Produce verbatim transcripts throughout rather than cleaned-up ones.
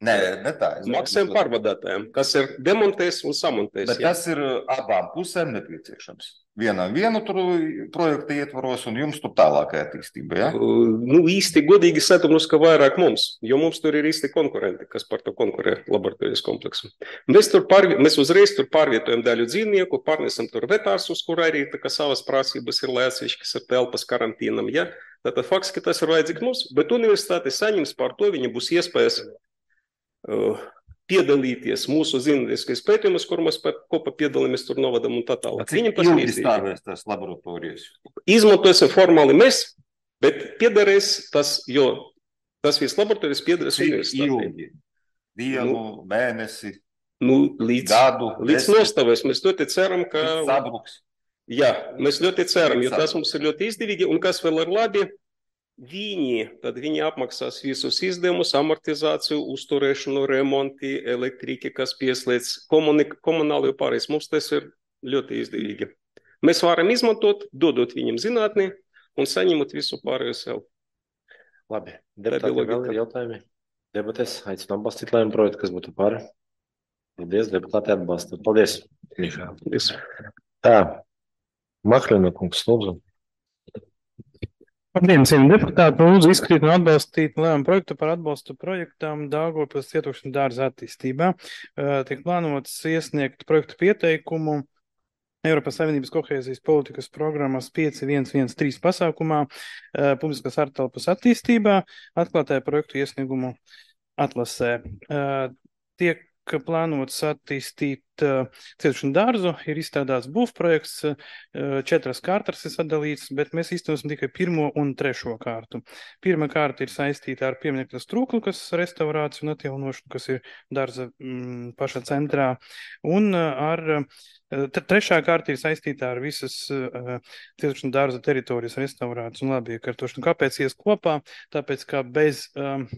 Nē, ne tā. es maksājumu domāju, pārvadātājiem, kas ir demontēs un samontēs. Bet jā. tas ir abām pusēm nepieciešams. Vienam vienu tur projektu ietvaros un jums tur tālākajā attīstībā, ja? Uh, Nu, īsti godīgi satumnus, ka vairāk mums, jo mums tur ir īsti konkurenti, kas par to konkurē laboratorijas kompleksu. Mēs, tur pārvi, mēs uzreiz tur pārvietojam daļu dzīvnieku, pārnesam tur vetārsus, kur arī tā kā savas prasības ir lēcišķi, kas ir telpas karantīnam, ja? Tātad faktiski tas ir vajadzīgs mums, bet universitāte saņems par to, viņa būs iespējas uh, piedalīties mūsu zinātniskais pētījumus, kur mēs kopā piedalāmies tur novadam un tā tālāk. Cik ilgi stāvēs tās laboratorijas? Izmantosim formāli mēs, bet piederēs tas, jo tas viss laboratorijas piederēs Cik universitātei. ilgi? Dienu, Nu, mēnesi, Nu, līdz, gadu, līdz nostavēs. Mēs ļoti ceram, ka... līdz sabruks. Jā, mēs ļoti ceram, jo Līdz tas mums ir ļoti izdevīgi. Un kas vēl ir labi, viņi, tad viņi apmaksās visus izdevumus, amortizāciju, uzturēšanu, remonti, elektriki, kas pieslēdz komunik- komunālo pārējais. Mums tas ir ļoti izdevīgi. Mēs varam izmantot, dodot viņam zinātni un saņemot visu pārējo sev. Labi, bija deputāti, vēl logika. ir jautājumi? Debatēs aicinu atbalstīt lēmumu projektu, kas būtu par. Paldies, deputāti atbalsta. Paldies, Mihāl. Visu. Tā, Maklina kungs, lūdzu. Labdien, cienījamie deputāti, lūdzu izskatīt un atbalstīt lēmumu projektu par atbalstu projektam Daugavpils cietoksņu dārza attīstībā. Uh, Tiek plānots iesniegt projektu pieteikumu Eiropas Savienības kohēzijas politikas programmas pieci viens viens trīs pasākumā uh, publiskās ārtelpas attīstībā, atklātajā projektu iesniegumu atlasē. Uh, Tiek plānots attīstīt uh, cietoksņu dārzu, ir izstrādāts būvprojekts, uh, četras kārtas ir sadalīts, bet mēs īstenosim tikai pirmo un trešo kārtu. Pirmā kārta ir saistīta ar pieminekļa trūklu, kas restaurāciju un atjaunošanu, kas ir dārza mm, paša centrā, un uh, ar uh, trešā kārta ir saistīta ar visas uh, cietoksņu dārza teritorijas restaurāciju un labiekārtošanu. Kāpēc ies kopā? Tāpēc, ka bez um,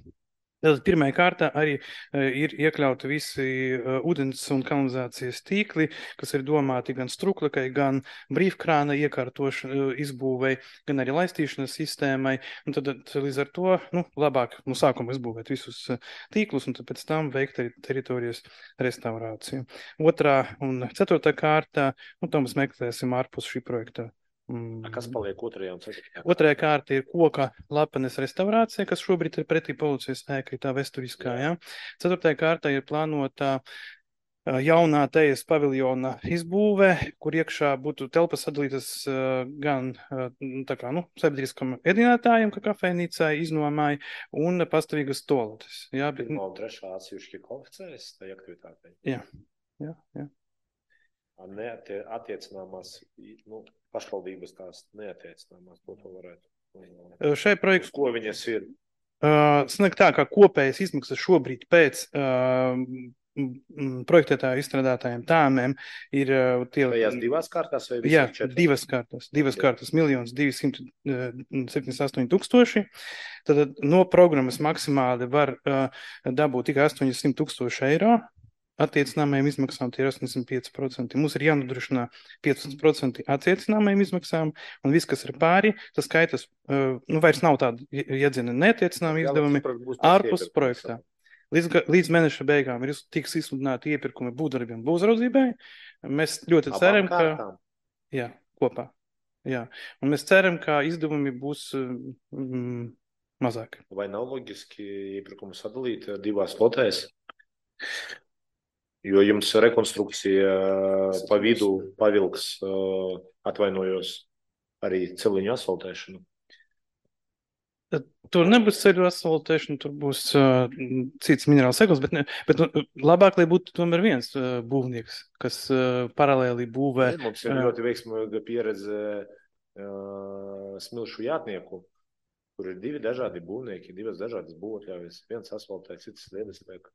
Tātad pirmajā kārtā arī uh, ir iekļauti visi uh, ūdens un kanalizācijas tīkli, kas ir domāti gan struklikai, gan brīvkrāna iekārtošanai, uh, izbūvei, gan arī laistīšanas sistēmai. Un tad, tad līdz ar to nu, labāk no sākuma izbūvēt visus uh, tīklus un tad pēc tam veikt teri teritorijas restaurāciju. Otrā un ceturtā kārtā, nu, to mēs meklēsim ārpus šī projekta. A, Kas paliek otrajā un ceturtajā? Otrajā kārta ir koka lapenes restaurācija, kas šobrīd ir pretī policijas ēkai, tā vesturiskā. Ja? Ceturtajā kārtā ir plānota ā, jaunā tejas paviljona izbūve, kur iekšā būtu telpas sadalītas ā, gan ā, tā kā, nu, sabiedriskam ēdinātājiem, kā kafejnīcai, iznomāji, un pastāvīgas toaletes. Ja? Bet, Pirmā un trešā atsevišķi kvalificējas tai aktivitātei. jā, jā, jā. Neatie, attiecināmās, nu, pašvaldības tās neattiecināmās, ko to varētu. Šai projekts Ko viņas ir? Uh, Sanāk tā, kā kopējas izmaksas šobrīd pēc uh, projektētāju izstrādātājiem tāmēm ir uh, tie... Tajās divās kārtās vai Jā, visās četrās? divas kārtas. Divas Jā. kārtas miljons divsimt septiņdesmit astoņi tūkstoši. Tad no programmas maksimāli var uh, dabūt tikai astoņdesmit tūkstoši eiro. Attiecināmajām izmaksām tie ir astoņdesmit pieci procenti. Mums ir jānodrošina piecdesmit procenti attiecināmajām izmaksām, un viss, kas ir pāri, tas skaitas, uh, nu, vairs nav tāda iedzina neatiecinājuma izdevumi ārpus projektā. Līdz, ga- līdz mēneša beigām ir tiks izsludināti iepirkumi būvdarbiem būvzaudzībai. Mēs ļoti ceram, ka... Jā, kopā. Jā. Un mēs ceram, ka izdevumi būs mm, mazāki. Vai nav loģiski iepirkumu sadalīt divās lotēs? Jo jums rekonstrukcija pa vidu pavilks, atvainojos, arī celiņu asfaltēšanu. Tur nebūs ceļu asfaltēšana, tur būs uh, cits minerāls segls, bet, ne, bet nu, labāk, lai būtu tomēr viens uh, būvnieks, kas uh, paralēli būvē. Mums ir ļoti veiksmīga pieredze uh, smilšu jātnieku, kur ir divi dažādi būvnieki, divas dažādas būvotļaujas, viens asfaltē, cits lietas tiek.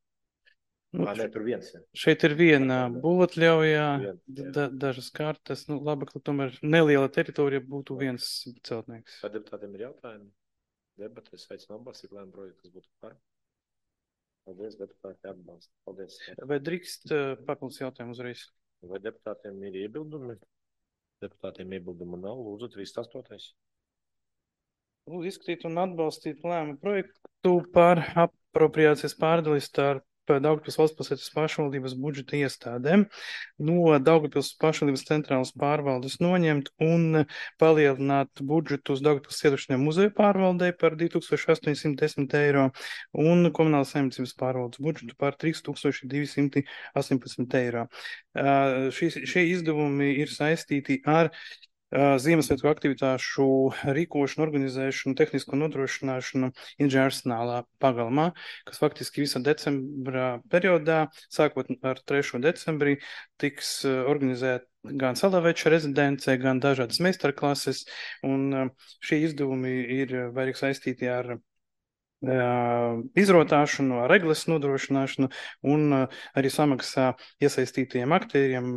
Nu, Ā, nē, tur viens ir. šeit ir viena būvotļaujā, Viens, jā. da, dažas kārtas, nu labāk, lai tomēr neliela teritorija būtu viens celtnieks. Vai deputātiem ir jautājumi? Debates aicinu atbalstīt lēmumu projektu, kas būtu par. Paldies, deputāti atbalsta. Paldies. Vai drīkst uh, papildus jautājumu uzreiz? Vai deputātiem ir iebildumi? Deputātiem iebildumu nav. Lūdzu, trīsdesmit astotais. Lūdzu, izskatīt un atbalstīt lēmumu projektu par ap, apropriācijas pārdalis starp Daugavpils valsts pilsētas pašvaldības budžeta iestādēm no Daugavpils pašvaldības centrālas pārvaldes noņemt un palielināt budžetu uz Daugavpils cietušņiem muzeju pārvaldei par divi tūkstoši astoņsimt desmit eiro un komunālas saimniecības pārvaldes budžetu par trīs tūkstoši divi simti astoņpadsmit eiro. Šie, šie izdevumi ir saistīti ar Ziemassvētku aktivitāšu rīkošanu, organizēšanu, tehnisko nodrošināšanu inženierarsenālā pagalmā, kas faktiski visā decembra periodā, sākot ar trešo decembrī, tiks organizēt gan Salaveča rezidence, gan dažādas meistarklases, un šie izdevumi ir vairāk saistīti ar izrotāšanu, ar reglas nodrošināšanu un arī samaksā iesaistītajiem aktieriem,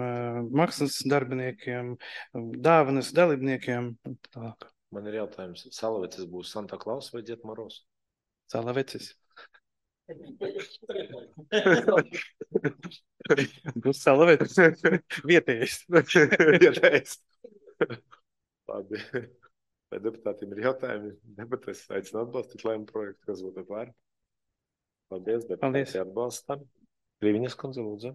maksas darbiniekiem, dāvanas dalībniekiem. Tālāk. Man ir jautājums, Salavecis būs Santa Claus vai Dzied Moros? Salavecis. Būs Salavecis. Vietējais. Vietējais. Labi. Vai deputātiem ir jautājumi? Debates aicinu atbalstīt lēmumu projektu, kas būtu par. Paldies, deputāti atbalstam. Krīviņas kundze, lūdzu.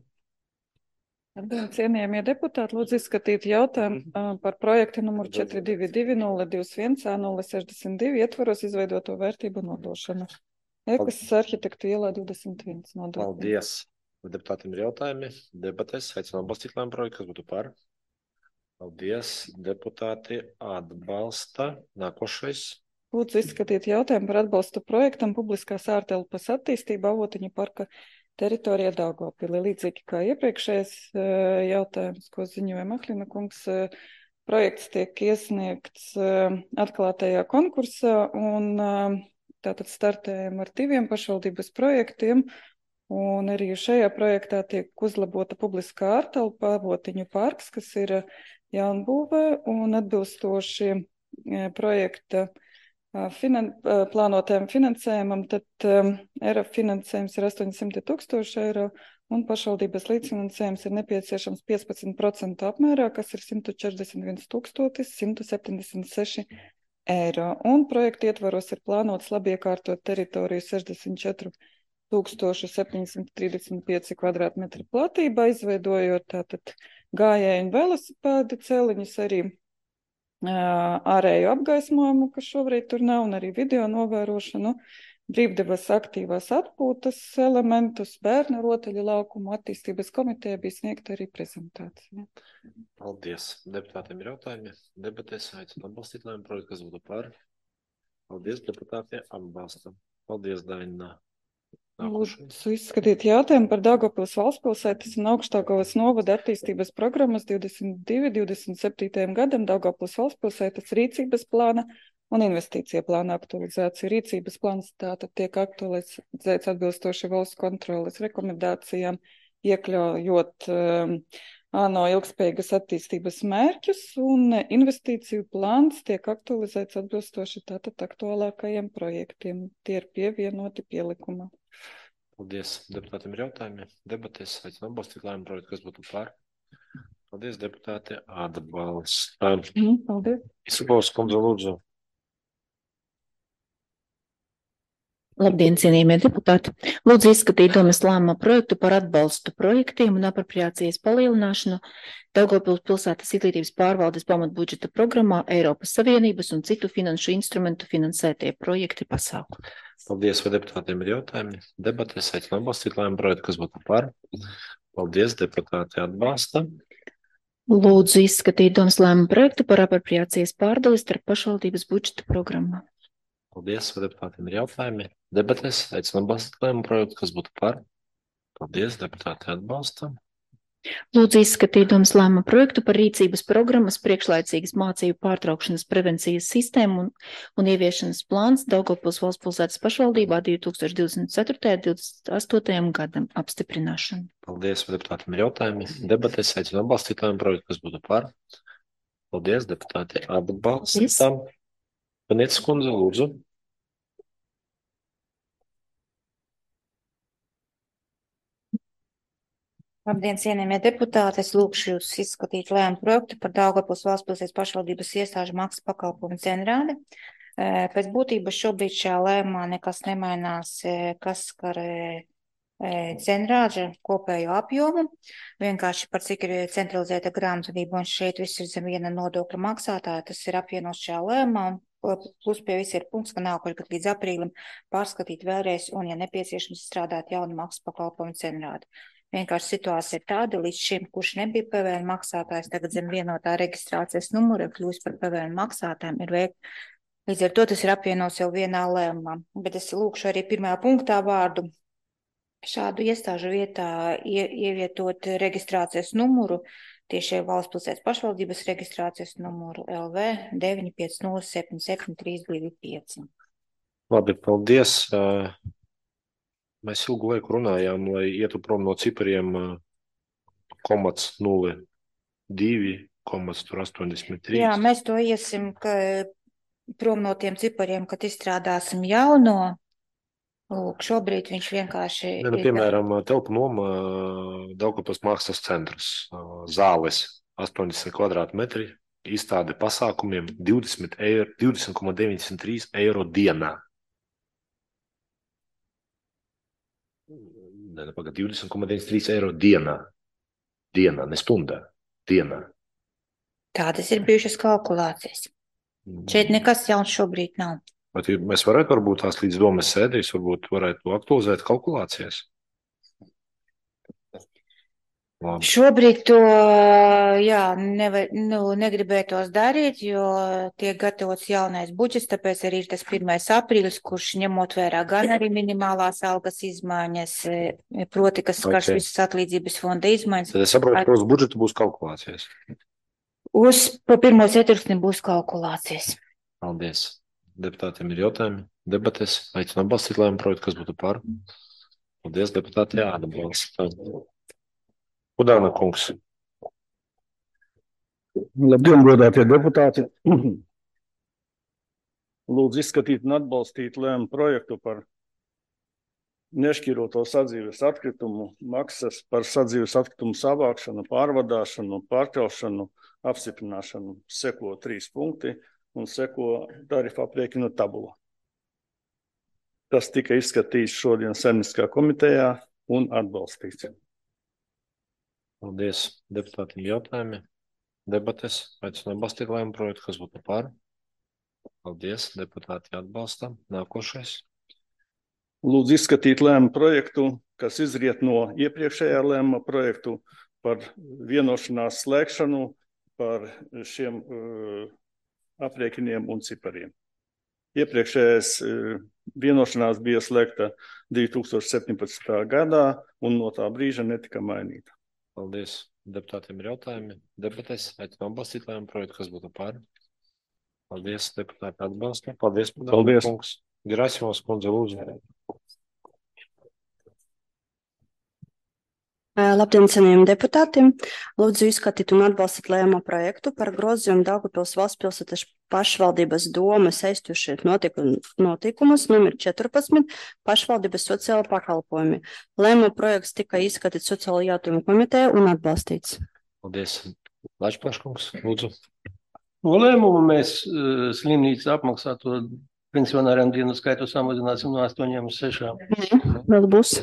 Cienījamie deputāti, lūdzu izskatīt jautājumu par projektu numuru četri divi divi nulle divdesmit viens A nulle sešdesmit divi ietvaros izveidoto vērtību nodošanu. Ekas arhitektu ielā divdesmit viens nodokļu. Paldies. Vai deputātiem ir jautājumi? Debates aicinu atbalstīt lēmumu projektu, kas būtu par. Paldies, deputāti atbalsta. Nākošais. Lūdzu izskatīt jautājumu par atbalstu projektam publiskās ārtelpas attīstība Avotiņu parka teritorijā Daugavpilī. Līdzīgi kā iepriekšējais jautājums, ko ziņoja Maklina kungs, projekts tiek iesniegts atklātajā konkursā un tātad startējam ar diviem pašvaldības projektiem. Un arī šajā projektā tiek uzlabota publiskā ārtelpa Avotiņu parks, kas ir jaunbūvē un atbilstoši projekta finan plānotajam finansējumam, tad E R F finansējums ir astoņsimt tūkstoši eiro un pašvaldības līdzfinansējums ir nepieciešams piecpadsmit procenti apmērā, kas ir simt četrdesmit viens tūkstotis simt septiņdesmit seši eiro. Un projekta ietvaros ir plānots labiekārtot teritoriju sešdesmit četri tūkstoši septiņsimt trīsdesmit pieci kvadrātmetri platībā, izveidojot tātad gājēju un velosipēdu celiņus, arī ārēju apgaismojumu, kas šobrīd tur nav, un arī video novērošanu, brīvdevas aktīvās atpūtas elementus, bērnu rotaļu laukumu attīstības komiteja bija sniegta arī prezentācija. Paldies. Deputātiem ir jautājumi. Debatēs aicinu atbalstīt lēmumu projektu, kas būtu par. Paldies, deputāti atbalstam. Paldies, Daina. Lūdzu izskatīt jautājumu par Daugavpils valstspilsētas un Augšdaugavas novada attīstības programmas divdesmit divi divdesmit septītajam gadam Daugavpils valstspilsētas rīcības plāna un investīcija plāna aktualizācija. Rīcības plāns tātad tiek aktualizēts atbilstoši valsts kontroles rekomendācijām, iekļaujot um, ANO ilgspējīgas attīstības mērķus, un investīciju plāns tiek aktualizēts atbilstoši tātad aktuālākajiem projektiem. Tie ir pievienoti pielikumā. Paldies. Deputātiem ir jautājumi. Debatēs aicinu atbalstīt lēmumu projektu, kas būtu par. Paldies, deputāti atbalsta. Mm, paldies. Isabovs kundze, lūdzu. Labdien, cienījamie deputāti! Lūdzu izskatīt domas lēmuma projektu par atbalstu projektiem un apropriācijas palielināšanu Daugavpils pilsētas izglītības pārvaldes pamatbudžeta programmā Eiropas Savienības un citu finanšu instrumentu finansētie projekti pasākumi. Paldies, vai deputātiem ir jautājumi? Debatēs aicinu atbalstīt lēmumu projektu, kas būtu par. Paldies, deputāti atbalsta. Lūdzu izskatīt domas lēmuma projektu par apropriācijas pārdalis starp pašvaldības budžeta programmā. Paldies, vai deputātiem ir jautājumi? Debatēs aicinu atbalstīt lēmumu projektu, kas būtu par. Paldies, deputāti atbalsta. Lūdzu izskatīt domas lēmuma projektu par rīcības programmas priekšlaicīgas mācību pārtraukšanas prevencijas sistēmu un, un ieviešanas plāns Daugavpils valstspilsētas pašvaldībā divi tūkstoši divdesmit ceturtajam un divdesmit astotajam gadam apstiprināšanu. Paldies, vai deputātiem ir jautājumi? Debatēs aicinu atbalstīt lēmumu projektu, kas būtu par. Paldies, deputāti atbalsta. Panietis kundze, lūdzu. Labdien, cienījamie deputāti! Es lūkšu jūs izskatīt lēmumu projektu par Daugavpils valstspilsētas pašvaldības iestāžu maksas pakalpojumu cenrādi. Pēc būtības šobrīd šajā lēmumā nekas nemainās, kas skar cenrāža kopējo apjomu, vienkārši par cik ir centralizēta grāmatvedība, un šeit viss ir zem viena nodokļa maksātāja, tas ir apvienots šajā lēmumā, un plus pie viss ir punkts, ka nākošais gadu līdz aprīlim pārskatīt vēlreiz, un, ja nepieciešams, strādāt jaunu maksas pakalpojumu cenrādi. Vienkārši situācija ir tāda, līdz šim, kurš nebija P V N maksātājs, tagad zem vienotā reģistrācijas numura kļūst par P V N maksātājiem, ir veikt. Līdz ar to tas ir apvienots jau vienā lēmumā. Bet es lūkšu arī pirmajā punktā vārdu šādu iestāžu vietā ie, ievietot reģistrācijas numuru, tieši valsts pilsētas pašvaldības reģistrācijas numuru L V deviņi pieci nulle septiņi septiņi trīs divi pieci. Labi, paldies. Mēs ilgu laiku runājām, lai ietu prom no cipariem komats nulle divi, komats tur astoņdesmit trīs. Jā, mēs to iesim, ka prom no tiem cipariem, kad izstrādāsim jauno. Lūk, šobrīd viņš vienkārši... Ja, nu, piemēram, telpu noma Daugavpils mākslas centrs, zāles astoņdesmit kvadrātmetri, izstāde pasākumiem divdesmit komats deviņdesmit trīs eiro dienā. Ne, ne, pagad, divdesmit komats deviņdesmit trīs eiro dienā. Dienā, ne stundā. Dienā. Tādas ir bijušas kalkulācijas. Šeit nekas jauns šobrīd nav. Bet mēs varētu varbūt tās līdz domas sēdīs, varbūt varētu aktualizēt kalkulācijas. Labi. Šobrīd to, jā, nevar, nu, negribētos darīt, jo tiek gatavots jaunais budžets, tāpēc arī ir tas pirmais aprīlis, kurš ņemot vērā gan arī minimālās algas izmaiņas, proti, kas skars okay. Visas atlīdzības fonda izmaiņas. Tad es saprotu, ka uz budžetu būs kalkulācijas. Uz pa pirmo ceturksni būs kalkulācijas. Paldies. Deputātiem ir jautājumi, debates, aicinu atbalstīt lēmumu projektu, kas būtu par. Paldies, deputāti, jāatbalsta. Kudāna kungs. Labdien, godātie deputāti. Lūdzu izskatīt un atbalstīt lēmumu projektu par nešķiroto sadzīves atkritumu maksas par sadzīves atkritumu savākšanu, pārvadāšanu, pārkelšanu, apstiprināšanu. Seko trīs punkti. Un seko tarifu aprēķinu tabula. Tas tika izskatīts šodien Saimnieciskajā komitejā un atbalstīts. Paldies deputātiem jautājumi. Debates, aicinu atbalstīt lēmumu projektu, kas būtu par. Paldies, deputāti atbalsta. Nākošais. Lūdzu izskatīt lēmumu projektu, kas izriet no iepriekšējā lēmuma projektu par vienošanās slēgšanu par šiem uh, aprēķiniem un cipariem. Iepriekšējais vienošanās bija slēgta divi tūkstoši septiņpadsmitā gadā un no tā brīža netika mainīta. Paldies. Deputātiem ir jautājumi. Debates, aicinu atbalstīt lēmumu projektu, kas būtu par. Paldies, deputāti atbalsta. Paldies, Paldies. Kungs. Gerasimos kundze, lūdzu. Labdien, cienījamiem deputātiem! Lūdzu izskatīt un atbalstīt lēmumu projektu par grozījumu Daugavpils valsts pilsētas pašvaldības domas aiztušiet notikumus numur četrpadsmit pašvaldības sociāla pakalpojumi. Lēmumu projekts tika izskatīts sociālo jautājumu komiteja un atbalstīts. Paldies. Lačplaškungs, lūdzu. No lēmumu mēs uh, slimnīca apmaksāto pensionāriem dienu skaitu samazināsim no astoņiem uz sešām. Vēl būs.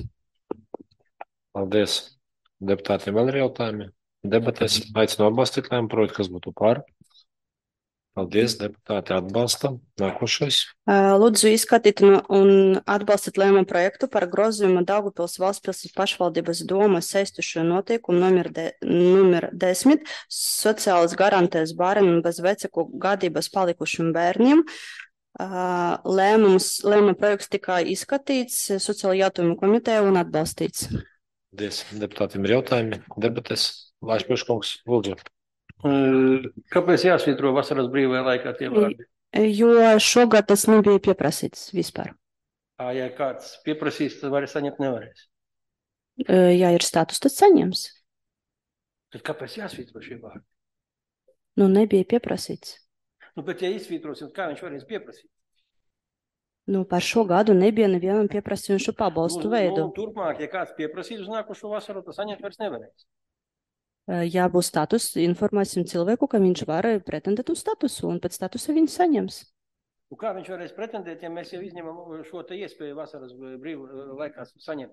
Paldies. Deputātiem vēl ir jautājumi. Debates, aicinu atbalstīt lēmumu projektu, kas būtu par. Paldies, deputāti atbalsta. Nākošais. Lūdzu izskatīt un atbalstīt lēmumu projektu par grozījumu Daugavpils valsts pilsētas pašvaldības domas aiztušo noteikumu numur, de, numur desmit sociālas garantēs bērniem bez vecāku gadības palikušiem bērniem. Lēmums, lēmuma projekts tika izskatīts sociālo jautājumu komiteja un atbalstīts. Paldies. Deputātiem ir jautājumi. Debates. Lačplaškungs, lūdzu. Kāpēc jāsvītro vasaras brīvajā laikā tie vārdi? Jo šogad tas nebija pieprasīts vispār. Ja kāds pieprasīs, tad var saņemt nevarēs. Ja ir status, tad saņems. Tad kāpēc jāsvītro šie vārdi? Nu, nebija pieprasīts. Nu, bet ja izsvītrosim, kā viņš varēs pieprasīt? Nu, par šo gadu nebija nevienam pieprasījušu pabalstu nu, veidu. Nu, turpmāk, ja kāds pieprasīs uz nākošo vasaru, tad saņemt vairs nevarēs. Ja būs status, informēsim cilvēku, ka viņš var pretendēt uz statusu, un pēc statusa viņš saņems. Un kā viņš varēs pretendēt, ja mēs jau izņemam šo te iespēju vasaras brīvu laikā saņemt?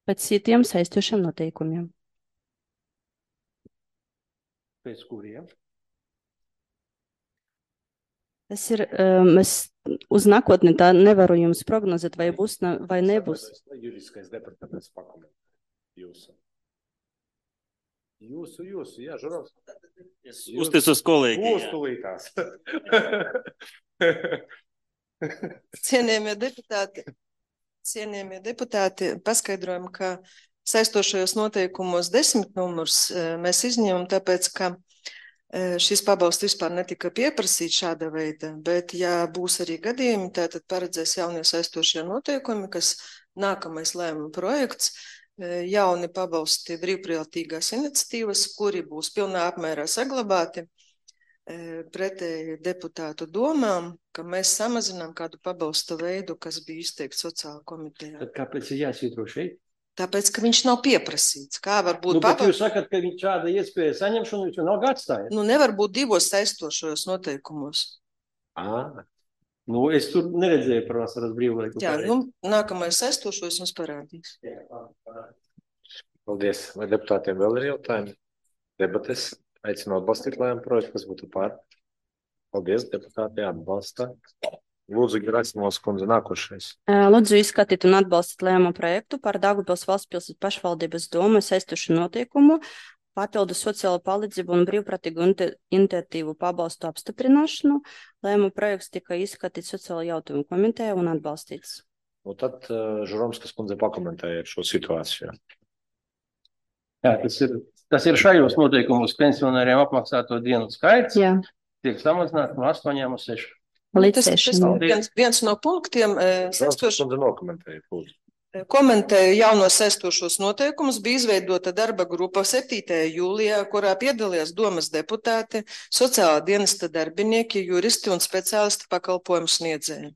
Pēc citiem saistošiem noteikumiem. Pēc kuriem? Tas ir, um, es uz nākotni tā nevaru jums prognozēt, vai būs ne, vai nebūs. Juridiskais departaments pakomentē jūsu. Jūsu, jūsu, jā, Žurovs. Uzticos kolēģi. Uztulītās. Cienījamie deputāti, cienījamie deputāti, paskaidrojam, ka saistošajos noteikumos desmit numurs mēs izņemam, tāpēc, ka šis pabalsts vispār netika pieprasīts šāda veida, bet ja būs arī gadījumi, tātad paredzēs jaunie saistošie noteikumi, kas nākamais lēmuma projekts, jauni pabalsti brīvprātīgās iniciatīvas, kuri būs pilnā apmērā saglabāti pretēji deputātu domām, ka mēs samazinām kādu pabalsta veidu, kas bija izteikts sociāla komitejā. Tad kāpēc ir jāsvītro šeit? Tāpēc, ka viņš nav pieprasīts. Kā var būt nu, pabalsts? Jūs sakat, ka viņš šāda iespēja saņemšanu, viņš nav atstājis. Nu, nevar būt divos saistošajos noteikumos. À. Nu, es tur neredzēju par vasaras brīvlaiku. Jā, nu, nākamais saistošos jums parādīs. Paldies. Vai deputātiem vēl ir jautājumi? Debates. Aicinu atbalstīt lēmumu projektu, kas būtu par. Paldies, deputāti, atbalsta. Lūdzu, Gerasimos kundze, nākošais. Lūdzu, izskatīt un atbalstīt lēmumu projektu par Daugavpils valsts pilsētas pašvaldības domu saistošu noteikumu, papildu sociālo palīdzību un brīvprātīgu iniciatīvu pabalstu apstiprināšanu. Lēmumu projekts tika izskatīts sociālo jautājumu komitejā un atbalstīts. Un tad uh, Žuromskas kundze pakomentēja šo situāciju. Jā, tas ir, tas ir šajos noteikumos pensionāriem apmaksāto dienu skaits. Jā. Tiek samazināts no astoņiem uz sešiem. Līdz tas, tas viens, viens no punktiem saistošo nokomentēja, lūdzu. Komentēja jaunos saistošos noteikumus, bija izveidota darba grupa septītajā jūlijā, kurā piedalījās domas deputāti, sociālā dienesta darbinieki, juristi un speciālisti pakalpojumu sniedzēji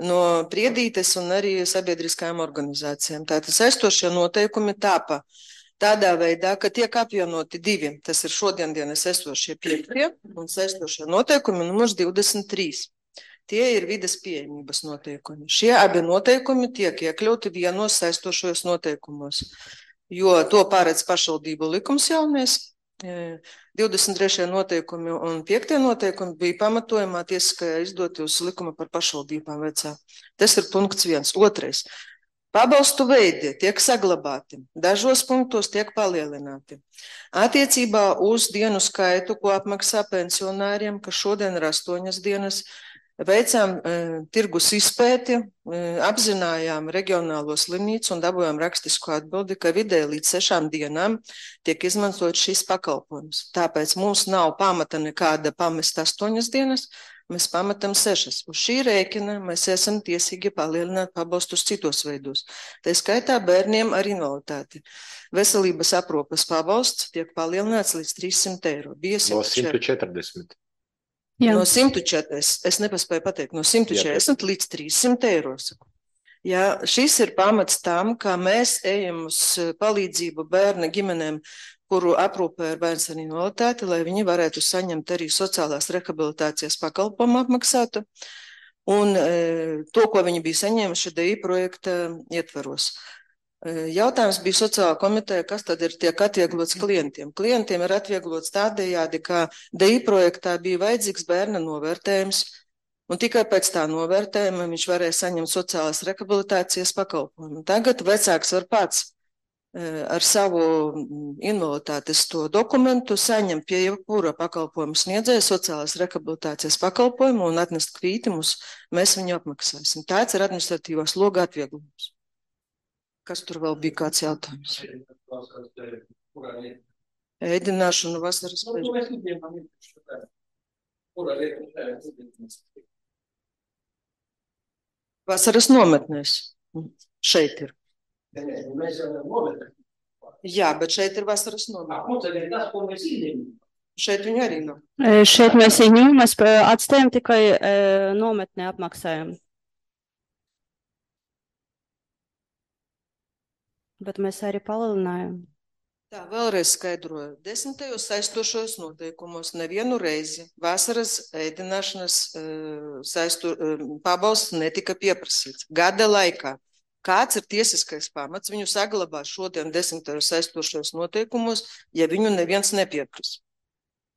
no Priedītes un arī sabiedriskajām organizācijām. Tātad saistošie noteikumi tāpa tādā veidā, ka tiek apvienoti divi, tas ir šodien dienas esošie piektie un saistošie noteikumi numurs divdesmit trīs. Tie ir vides pieejamības noteikumi. Šie abi noteikumi tiek iekļauti vienos saistošajos noteikumos, jo to pārēdz pašvaldību likums jaunais. divdesmit trešie noteikumi un piektie noteikumi bija pamatojumā tiesiskajā izdoti uz likuma par pašvaldībām vecā. Tas ir punkts viens. Otrais. Pabalstu veidi tiek saglabāti, dažos punktos tiek palielināti. Attiecībā uz dienu skaitu, ko apmaksā pensionāriem, kas šodien ir astoņas dienas, veicām e, tirgus izpēti, e, apzinājām reģionālo slimnīcu un dabūjām rakstisku atbildi, ka vidēji līdz sešām dienām tiek izmantot šis pakalpojums. Tāpēc mums nav pamata nekāda pamest astoņas dienas, mēs pamatam sešas. Uz šī rēķina mēs esam tiesīgi palielināt pabalstus citos veidos. Tā skaitā bērniem ar invaliditāti. Veselības aprūpes pabalsts tiek palielināts līdz trīssimt eiro. Bija No simt četrdesmit. Jā. No simt četrdesmit, es nepaspēju pateikt, no simt četrdesmit līdz trīssimt eiro. Jā, šis ir pamats tam, kā mēs ejam uz palīdzību bērna ģimenēm, kuru aprūpē ir bērns ar invaliditāti, lai viņi varētu saņemt arī sociālās rehabilitācijas pakalpojumu apmaksātu un e, to, ko viņi bija saņēmuši D I projekta ietvaros. E, jautājums bija sociālā komiteja, kas tad ir tiek atvieglots klientiem. Klientiem ir atvieglots tādējādi, ka D I projektā bija vajadzīgs bērna novērtējums, un tikai pēc tā novērtējuma viņš varēja saņemt sociālās rehabilitācijas pakalpojumu. Tagad vecāks var pats ar savu invaliditātes to dokumentu saņem pie jebkura pakalpojumu sniedzēja sociālās rehabilitācijas pakalpojumu un atnest kvīti mums, mēs viņu apmaksāsim. Tāds ir administratīvās loga atvieglojums. Kas tur vēl bija kāds jautājums? Ēdināšana vasaras pēc. Vasaras nometnēs. Šeit ir. Jā, bet šeit ir vasaras nometne. Šeit viņu arī nav. Šeit mēs viņu mēs atstājam tikai nometnē apmaksājam. Bet mēs arī palielinājam. Tā, vēlreiz skaidroju. Desmitajos saistošos noteikumos nevienu reizi vasaras ēdināšanas uh, saisto, uh, pabalsts netika pieprasīts. Gada laikā. Kāds ir tiesiskais pamats viņu saglabāt šodien desmitajos saistošos noteikumos, ja viņu neviens nepieprasa?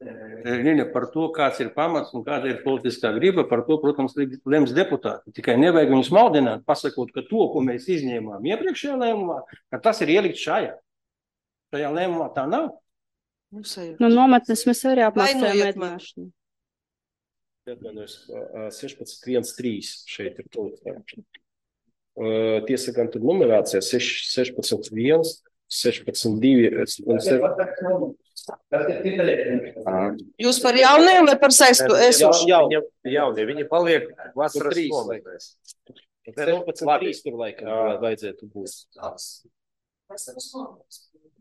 Liļa, par to, kāds ir pamats un kāda ir politiskā griba, par to, protams, lems deputāti. Tikai nevajag viņus maldināt, pasakot, ka to, ko mēs izņēmām iepriekšējā lēmumā, ka tas ir ielikt šajā. Šajā lēmumā tā nav. Nu, nometnes mēs arī apmaksājam ēdināšanu. sešpadsmit viens trīs šeit ir tūlīt. Tiesa gan tur numerācija sešpadsmit viens, sešpadsmit divi un sevi. Jūs par jauniem vai par saistu esošu? Jaunie, jaunie, viņi paliek vasaras nometnēs. sešpadsmit trīs tur laikam vajadzētu būt.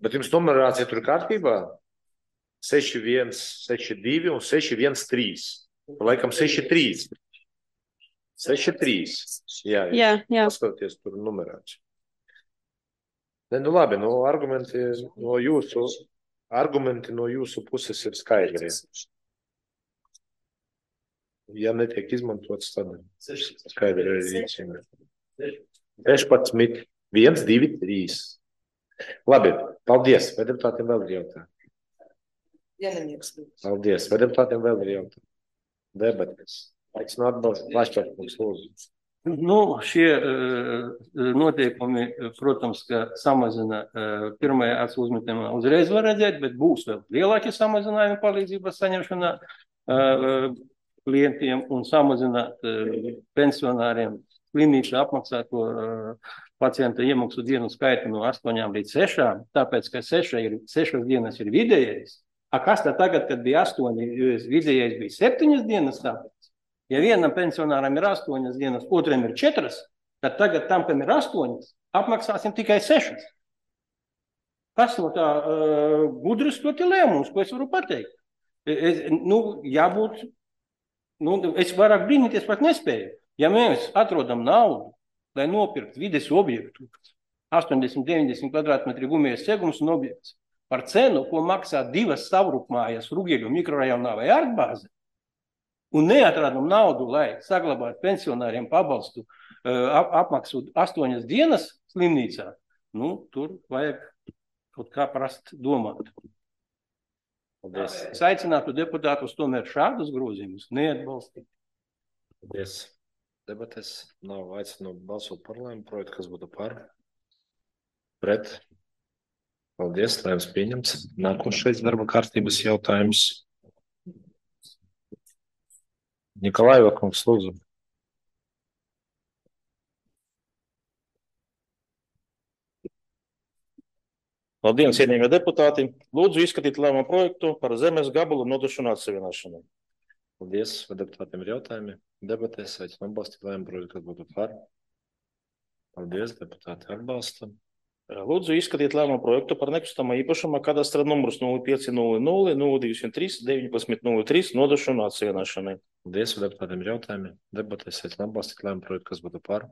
Bet jums numerācija tur kārtībā? seši viens, seši divi un seši viens trīs. Laikam seši trīs. seši trīs. Jā, jā, jā. Paskatoties tur numerāciju. Ne, nu labi, nu argumenti no jūsu, argumenti no jūsu puses ir skaidri. Ja netiek izmantots, tad skaidri arī rīcība. sešpadsmit viens, divi, trīs. Labi, paldies. Vai deputātiem vēl ir jautājumi? Paldies. Vai deputātiem vēl ir jautājumi? Debates. Aicinu atbalstu. Vašķārkungs, lūdzu. Nu, šie uh, noteikumi, protams, ka samazina uh, pirmajā acu uzmetamā uzreiz var redzēt, bet būs vēl lielāki samazinājumi palīdzības saņemšanā uh, klientiem un samazināt uh, pensionāriem slimnīcu apmaksāto uh, pacienta iemaksu dienu skaitu no astoņām līdz sešām, tāpēc, ka seša ir, sešas dienas ir vidējais. A kas tā tagad, kad bija astoņi, vidējais bija septiņas dienas tāpēc? Ja vienam pensionāram ir astoņas dienas, otram ir četras, tad tagad tam, kam ir astoņas, apmaksāsim tikai sešas. Kas no tā uh, gudrs ļoti lēmums, ko es varu pateikt? Es, nu, jābūt, nu, es vairāk brīnīties pat nespēju. Ja mēs atrodam naudu, lai nopirkt vides objektu, astoņdesmit deviņdesmit kvadrātmetri gumijas segums un objekts, par cenu, ko maksā divas savrupmājas Rugeļu mikrorajonā vai ārtbāze, un neatradam naudu, lai saglabātu pensionāriem pabalstu ap, apmaksu astoņas dienas slimnīcā, nu, tur vajag kaut kā prast domāt. Paldies. Es aicinātu deputātus tomēr šādus grozījumus neatbalstīt. Paldies. Debates nav aicinu balsot par lēmumu projektu, kas būtu par. Pret. Paldies, lēmums pieņemts. Nākošais darba kārtības jautājums. Nikolaiva kungs, lūdzu. Labdien, cienījamie deputāti. Lūdzu izskatīt lēmumu projektu par zemes gabalu nodošanu atsevienošanai. Paldies, vai deputātiem ir jautājumi? Debatēs aicinu atbalstīt lēmumu projektu, kas būtu par. Paldies, deputāti atbalsta. Lūdzu izskatīt lēmumu projektu par nekustamā īpašuma kadastra numurs nulle pieci nulle nulle nulle divsimt trīs deviņpadsmit nulle trīs nodošanu atsevienošanai. Paldies, vai deputātiem ir jautājumi? Debatēs aicinu atbalstīt lēmumu projektu, kas būtu par.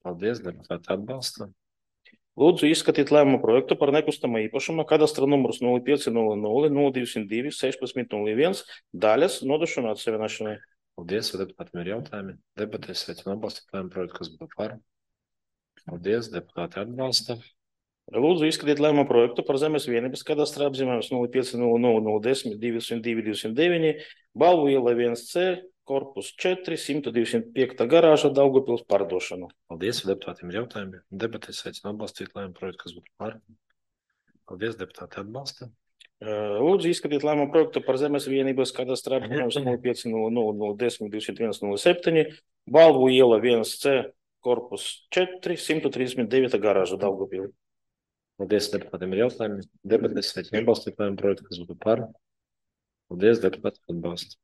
Paldies, deputāti atbalsta. Lūdzu izskatīt lēmumu projektu par nekustamā īpašuma kadastra numurs nulle pieci nulle nulle nulle divsimt divi sešpadsmit nulle viens daļas nodošanu atsevienošanai. Paldies, vai deputātiem ir jautājumi? Debatēs aicinu atbalstīt lēmumu projektu, kas būtu par. Paldies, deputāti atbalsta. Lūdzu izskatīt lēmumu projektu par zemes vienības kadastra apzīmējums nulle pieci nulle nulle nulle desmit divsimt divi divsimt deviņi Balvu iela viens C, korpus četri, simt divsimt piekta garāža Daugavpils pārdošanu. Paldies, deputātiem ir jautājumi. Debatēs aicinu atbalstīt lēmumu projektu, kas būtu par. Paldies, deputāti atbalsta. Lūdzu izskatīt lēmumu projektu par zemes vienības kadastra apzīmējums nulle pieci nulle nulle nulle desmit divsimt viens nulle septiņi Balvu iela viens C, korpus četri, simt trīsdesmit devīta garāža Daugavpils. Paldies, deputātiem ir jautājumi. Debatēs aicinu atbalstīt lēmumu projektu, kas būtu par. Paldies, deputāti atbalsta.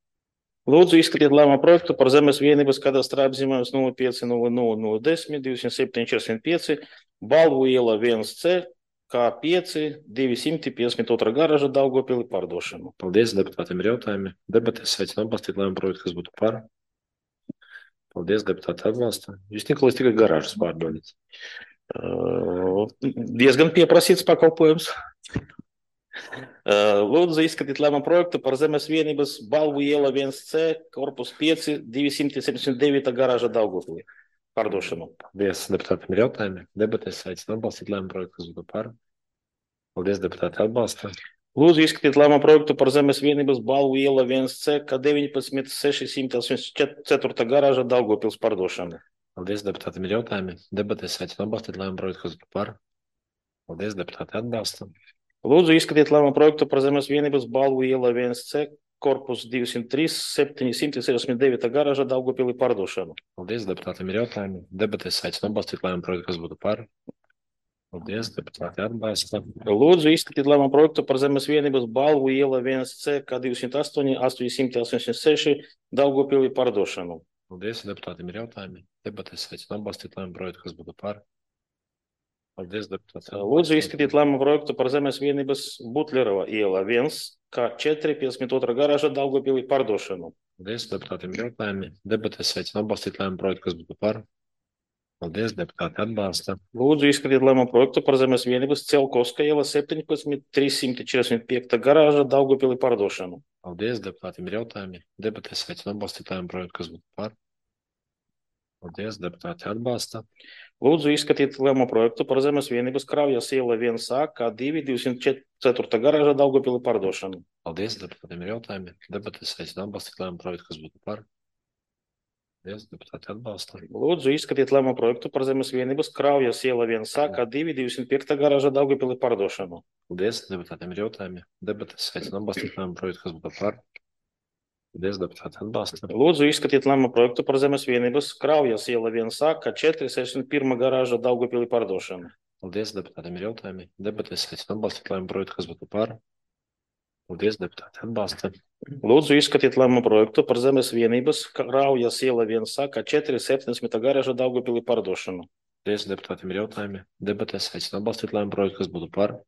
Lūdzu izskatīt lēmumu projektu par zemes vienības kadastra apzīmējums nulle pieci nulle nulle nulle desmit divsimt septiņi četrdesmit pieci Balvu iela viens C, K pieci, divsimt piecdesmit otrā garāža Daugavpils pārdošanu. Paldies, deputātiem ir jautājumi. Debatēs aicinu atbalstīt lēmumu projektu, kas būtu par. Paldies, deputāti atbalsta. Jūs Nikolais tikai garāžas pārdodat. Uh, diezgan pieprasīts pakalpojums. Lūdzu izskatīt lēmumu projektu par Zemes vienības Balvu iela viens C, korpus pieci, divsimt septiņdesmit deviņi garāža Daugavpilī. Pārdošanu. Paldies, deputātiem ir jautājumi. Debatēs aicinu atbalstīt lēmumu projektu, kas būtu par. Paldies, deputāti atbalsta. Lūdzu izskatīt lēmumu projektu par Zemes vienības Balvu iela viens C, K deviņpadsmit sešsimt astoņdesmit četri garāža Daugavpils pārdošanu. Paldies, deputātiem ir jautājumi. Debatēs aicinu atbalstīt lēmumu projektu, kas būtu par. Paldies, deputāti atbalsta. Lūdzu izskatīt lēmumu projektu par Zemes vienības Balvu iela viens C, korpus divsimt trīs, septiņsimt sešdesmit deviņi garāža Daugavpilī pārdošanu. Paldies, deputātiem ir jautājumi. Debatēs aicinu atbalstīt lēmumu projektu, kas būtu par. Paldies, deputāti atbalsta. Lūdzu izskatīt lēmumu projektu par Zemes vienības Balvu iela viens C, K divsimt astoņi, astoņsimt astoņdesmit seši Daugavpilī pārdošanu. Paldies, deputātiem ir jautājumi. Debatēs aicinu atbalstīt lēmumu projektu, kas būtu par. Paldies, deputāti. Lūdzu izskatīt lēmumu projektu par Zemes vienības Butlerova iela viens, K četri, piecdesmit divi garāža Daugavpilī pārdošanu. Paldies, deputātiem ir jautājumi. Debatēs aicinu atbalstīt lēmumu projektu, kas būtu par. Paldies, deputāti atbalsta. Lūdzu izskatīt lēmumu projektu par Zemes vienības Celkovska iela septiņpadsmit, trīssimt četrdesmit pieci garāža Daugavpilī pārdošanu. Paldies, deputātiem ir jautājumi. Debatēs aicinu atbalstīt lēmumu projektu, kas būtu par. Paldies, deputāti atbalsta. Lūdzu izskatīt lēmumu projektu par Zemes vienības Kraujas iela viens A, K divi, divsimt četri garāža Daugavpilī pārdošanu. Paldies, deputātiem ir jautājumi. Debatēs aicinu atbalstīt lēmumu projektu, kas būtu par. Paldies, deputāti atbalsta. Lūdzu izskatīt lēmumu projektu par Zemes vienības Kraujas iela viens A, K divi, divsimt pieci garāža Daugavpilī pārdošanu. Paldies, deputātiem ir jautājumi. Debatēs aicinu atbalstīt lēmumu projektu, kas būtu par. Paldies, deputāti atbalsta. Lūdzu izskatīt lēmumu projektu par Zemes vienības Kraujas iela viens A, K četri, sešdesmit pirmā garāža Daugavpilī pārdošanu. Paldies, deputātiem ir jautājumi. Debatēs aicinu atbalstīt lēmumu projektu, kas būtu par. Paldies, deputāti atbalsta. Lūdzu izskatīt lēmumu projektu par Zemes vienības Kraujas iela viens A, K četri, septiņdesmit garāža Daugavpilī pārdošanu. Paldies, deputātiem ir jautājumi. Debatēs aicinu atbalstīt lēmumu projektu, kas būtu par.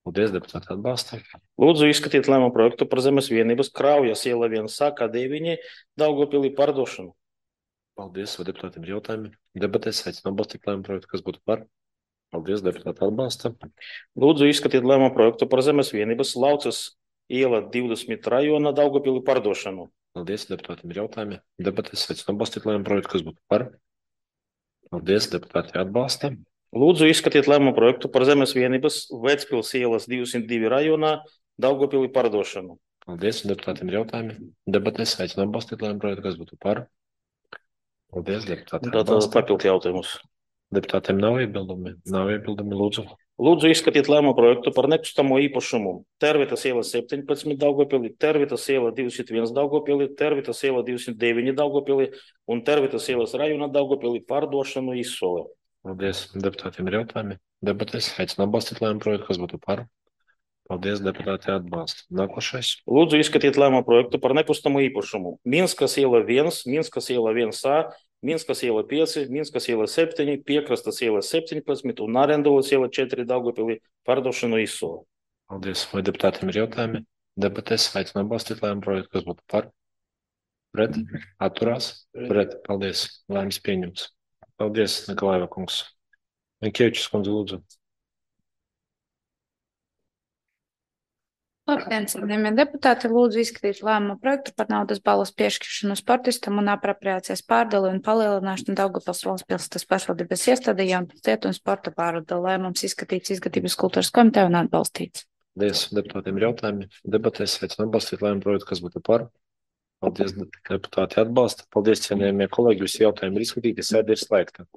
Paldies, deputāti atbalsta. Lūdzu izskatīt lēmumu projektu par Zemes vienības Kraujas iela viens A, K deviņi Daugavpilī pārdošanu. Paldies, vai deputātiem ir jautājumi. Debatēs aicinu atbalstīt lēmumu projektu, kas būtu par. Paldies, deputāti atbalsta. Lūdzu izskatīt lēmumu projektu par Zemes vienības Laucas iela divdesmit rajona Daugavpilī pārdošanu. Paldies, deputātiem ir jautājumi. Debatēs aicinu atbalstīt lēmumu projektu, kas būtu par. Paldies, deputāti atbalsta. Lūdzu izskatīt lēmumu projektu par Zemes vienības Vecpils ielas divsimt divi rajonā Daugavpilī pārdošanu. Paldies, deputātiem ir jautājumi. Debatēs aicinu atbalstīt lēmumu projektu, kas būtu par. Paldies, deputāti atbalsta. Tātad papildu jautājumus. Deputātiem nav iebildumi. Nav iebildumi, lūdzu. Lūdzu izskatīt lēmumu projektu par nekustamo īpašumu. Tervitas iela septiņpadsmit Daugavpilī, Tervitas iela divsimt viens Daugavpilī, Tervitas iela divsimt deviņi Daugavpilī un Tervitas ielas rajona Daugavpilī pārdošanu izsole. Paldies, deputātiem ir jautājumi. Debatēs aicinu atbalstīt lēmumu projektu, kas būtu par. Paldies, deputāti atbalsta. Nākošais. Lūdzu izskatīt lēmumu projektu par nekustamo īpašumu. Minskas iela viens, Minskas iela viens A, Minskas iela pieci, Minskas iela septiņi, Piekrastas iela septiņpadsmit un Arendovas iela četri Daugavpilī pārdošanu izsole. Paldies, vai deputātiem ir jautājumi. Debatēs aicinu atbalstīt lēmumu projektu, kas būtu par. Pret, atturās, pret. Paldies, lēmums pieņemts. Paldies, Nikolaiva kungs. Minkievičs kundze, lūdzu. Labdien, cienījamie deputāti, lūdzu izskatīt lēmumu projektu par naudas balvas piešķiršanu sportistam un apropriācijas pārdali un palielināšanu Daugavpils valsts pilsētas pašvaldības iestādē Jaunpilsētu un sporta pārvalde. Lēmums izskatīts Izglītības kultūras komitejā un atbalstīts. Paldies, deputātiem ir jautājumi. Debatēs aicinu atbalstīt lēmumu projektu, kas būtu par. Paldies, deputāti atbalsta. Paldies, cienījamie kolēģi, visi jautājumi ir izskatīti, sēde ir slēgta.